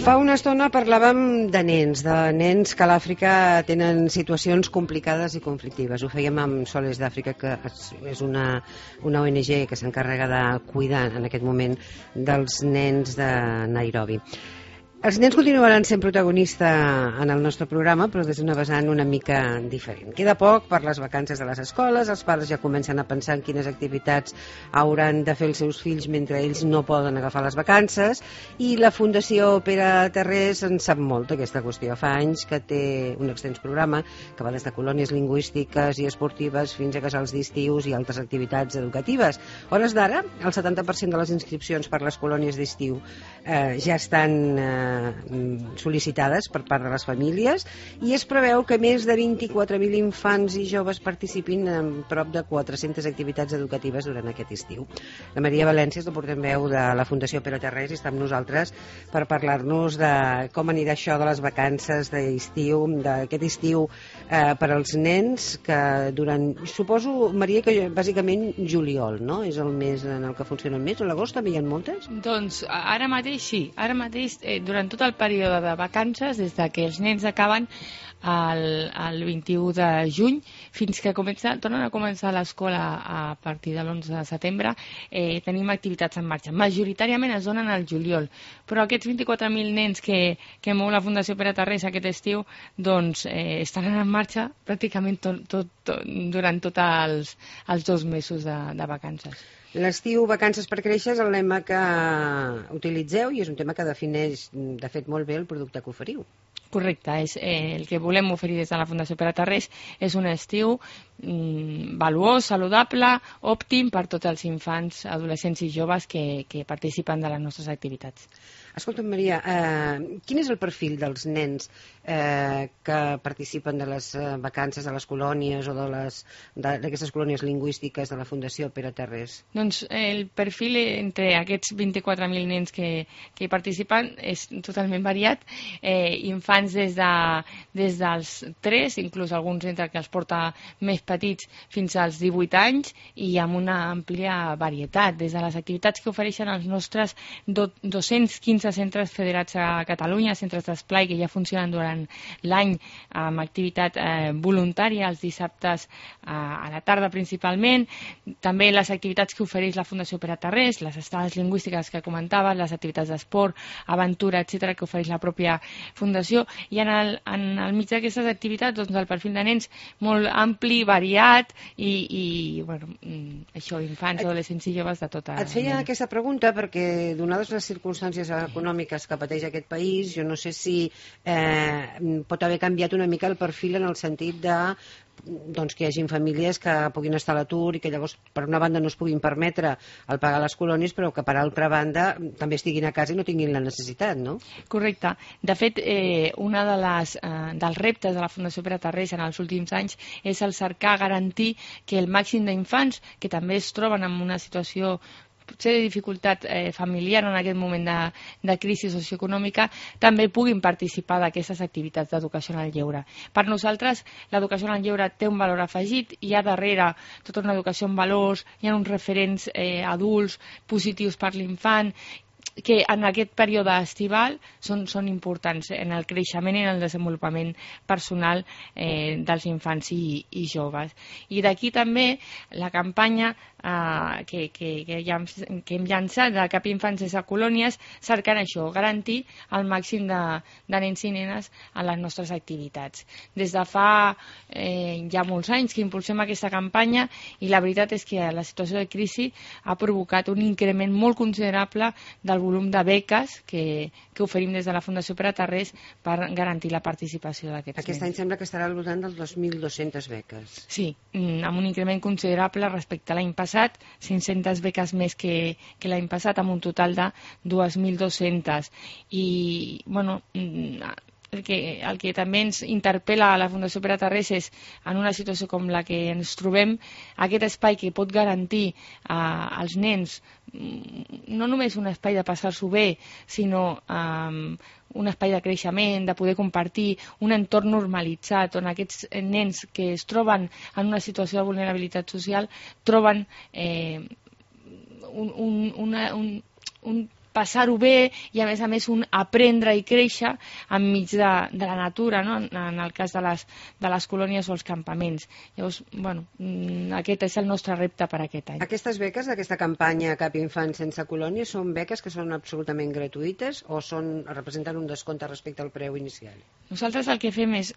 Fa una estona parlàvem de nens que a l'Àfrica tenen situacions complicades i conflictives. Ho fèiem amb Soles d'Àfrica, que és una ONG que s'encarrega de cuidar en aquest moment dels nens de Nairobi. Els nens continuaran sent protagonista en el nostre programa, però des d'una vessant una mica diferent. Queda poc per les vacances de les escoles, els pares ja comencen a pensar en quines activitats hauran de fer els seus fills mentre ells no poden agafar les vacances, i la Fundació Pere Tarrés en sap molt d'aquesta qüestió. Fa anys que té un extens programa que va des de colònies lingüístiques i esportives fins a casals d'estius i altres activitats educatives. A hores d'ara, el 70% de les inscripcions per les colònies d'estiu ja estan sol·licitades per part de les famílies, i es preveu que més de 24.000 infants i joves participin en prop de 400 activitats educatives durant aquest estiu. La Maria València és la portaveu de la Fundació Pere Tarrés i està amb nosaltres per parlar-nos de com anirà això de les vacances d'estiu, d'aquest estiu per als nens, que durant, suposo, Maria, que bàsicament juliol, no? És el mes en el que funcionen més, o l'agost també hi ha moltes? Doncs ara mateix sí, ara mateix durant tot el període de vacances, des que els nens acaben el 21 de juny fins que tornen a començar l'escola a partir de l'11 de setembre, tenim activitats en marxa. Majoritàriament es donen al juliol, però aquests 24.000 nens que mou la Fundació Pere Tarrés aquest estiu, doncs estaran en marxa pràcticament durant tots els 2 mesos de vacances. L'estiu, vacances per créixer, és el lema que utilitzeu i és un tema que defineix, de fet, molt bé el producte que oferiu. Correcte, el que volem oferir des de la Fundació Pere Tarrés és un estiu valuós, saludable, òptim per tots els infants, adolescents i joves que participen de les nostres activitats. Escolta'm, Maria, quin és el perfil dels nens que participen de les vacances de les colònies o d'aquestes colònies lingüístiques de la Fundació Pere Tarrés? Doncs el perfil entre aquests 24.000 nens que hi participen és totalment variat. Infants des dels 3, inclús alguns entre que els porta més petits, fins als 18 anys, i amb una àmplia varietat, des de les activitats que ofereixen els nostres 215 centres federats a Catalunya, centres d'esplai que ja funcionen durant l'any amb activitat voluntària els dissabtes a la tarda principalment, també les activitats que ofereix la Fundació Pere Tarrés, les estades lingüístiques que comentaves, les activitats d'esport, aventura, etc., que ofereix la pròpia Fundació, i en el mig d'aquestes activitats, doncs, el perfil de nens molt ampli, variat, i bueno, això, infants, adolescents i joves de tota... Et feia aquesta pregunta perquè, donades les circumstàncies econòmiques que pateix aquest país, jo no sé si pot haver canviat una mica el perfil en el sentit de que hi hagi famílies que puguin estar a l'atur i que llavors per una banda no es puguin permetre el pagar les colònies, però que per altra banda també estiguin a casa i no tinguin la necessitat, no? Correcte. De fet, un dels reptes de la Fundació Pere Tarrés en els últims anys és el cercar garantir que el màxim d'infants que també es troben en una situació potser de dificultat familiar en aquest moment de crisi socioeconòmica també puguin participar d'aquestes activitats d'educació en el lleure. Per nosaltres, l'educació en el lleure té un valor afegit, hi ha darrere tota una educació en valors, hi ha uns referents adults positius per l'infant, que en aquest període estival són importants en el creixement i en el desenvolupament personal dels infants i joves. I d'aquí també la campanya que hem llançat de Cap Infants sense colònies, cercant això, garantir el màxim de nens i nenes a les nostres activitats. Des de fa ja molts anys que impulsem aquesta campanya, i la veritat és que la situació de crisi ha provocat un increment molt considerable del volum de beques que oferim des de la Fundació Pere Tarrés per garantir la participació d'aquests nens. Aquest any sembla que estarà al voltant dels 2.200 beques. Sí, amb un increment considerable respecte a l'any passat, 500 beques més que l'any passat, amb un total de 2.200. I, bueno, el que també ens interpel·la a la Fundació Pere Tarrés és, en una situació com la que ens trobem, aquest espai que pot garantir als nens no només un espai de passar-s'ho bé, sinó un espai de creixement, de poder compartir, un entorn normalitzat on aquests nens que es troben en una situació de vulnerabilitat social troben un passar-ho bé i a més un aprendre i créixer enmig de la natura, no? En el cas de les colònies o els campaments. Llavors, bueno, aquest és el nostre repte per aquest any. Aquestes beques d'aquesta campanya Cap infant sense colònia són beques que són absolutament gratuïtes o representen un descompte respecte al preu inicial? Nosaltres el que fem és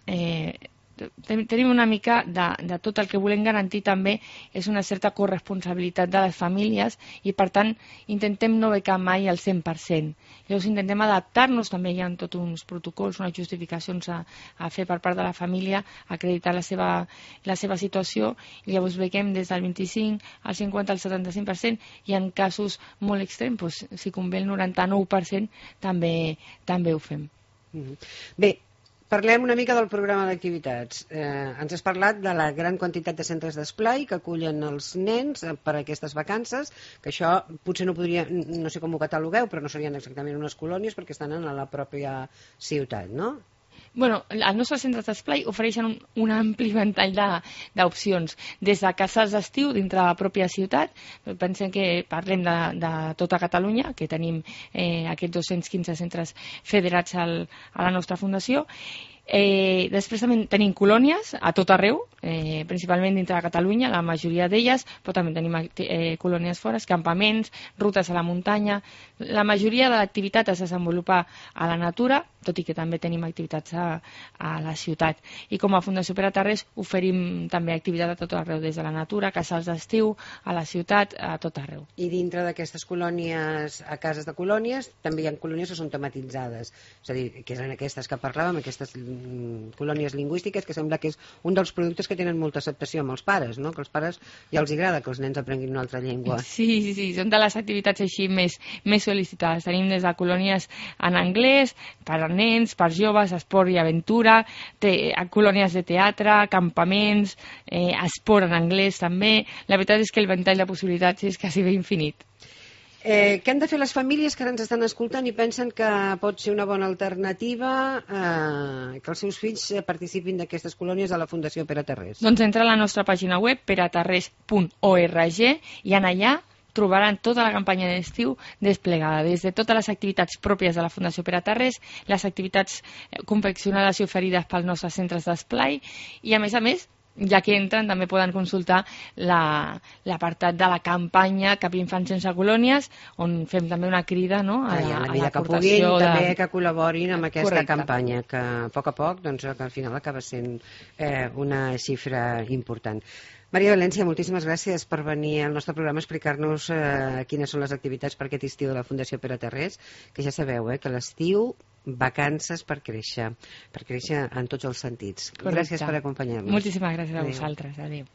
tenim una mica de tot el que volem garantir també és una certa corresponsabilitat de les famílies i per tant intentem no becar mai al 100%. Llavors intentem adaptar-nos, també hi ha tots uns protocols, unes justificacions a fer per part de la família, acreditar la seva situació i llavors bequem des del 25 al 50 al 75% i en casos molt extrems, doncs, si convé el 99% també ho fem. Bé, parlem una mica del programa d'activitats. Ens has parlat de la gran quantitat de centres d'esplai que acullen els nens per a aquestes vacances, que això potser no sé com ho catalogueu, però no serien exactament unes colònies perquè estan en la pròpia ciutat, no? Bueno, els nostres centres d'esplai ofereixen un ampli ventall d'opcions, des de cases d'estiu dintre de la pròpia ciutat, pensem que parlem de tota Catalunya, que tenim aquests 215 centres federats a la nostra fundació. Després també tenim colònies a tot arreu, principalment dintre de Catalunya, la majoria d'elles, però també tenim colònies fora, campaments, rutes a la muntanya. La majoria de l'activitat es desenvolupa a la natura, tot i que també tenim activitats a la ciutat. I com a Fundació Pere Tarrés oferim també activitat a tot arreu, des de la natura, casals d'estiu, a la ciutat, a tot arreu. I dintre d'aquestes colònies, a cases de colònies, també hi ha colònies que són tematitzades, és a dir, que eren aquestes que parlàvem, aquestes colònies lingüístiques, que sembla que és un dels productes que tenen molta acceptació amb els pares, no? Que als pares ja els agrada que els nens aprenguin una altra llengua. Sí, són de les activitats així més sol·licitades. Tenim des de colònies en anglès, per a nens, per joves, esport i aventura, colònies de teatre, campaments, esport en anglès també. La veritat és que el ventall de possibilitats és quasi bé infinit. Què han de fer les famílies que ara ens estan escoltant i pensen que pot ser una bona alternativa que els seus fills participin d'aquestes colònies de la Fundació Pere Tarrés? Doncs entra a la nostra pàgina web peretarrés.org i en allà trobaran tota la campanya d'estiu desplegada, des de totes les activitats pròpies de la Fundació Pere Tarrés, les activitats confeccionades i oferides pels nostres centres d'esplai i a més, ja que entren, també poden consultar l'apartat de la campanya Cap infant sense colònies, on fem també una crida, no, a la que puguin també que col·laborin amb aquesta campanya, que a poc doncs, que al final acaba sent una xifra important. Maria València, moltíssimes gràcies per venir al nostre programa a explicar-nos quines són les activitats per aquest estiu de la Fundació Pere Tarrés, que ja sabeu que l'estiu, vacances per créixer en tots els sentits. Correcte. Gràcies per acompanyar-nos. Moltíssimes gràcies a vosaltres. Adéu.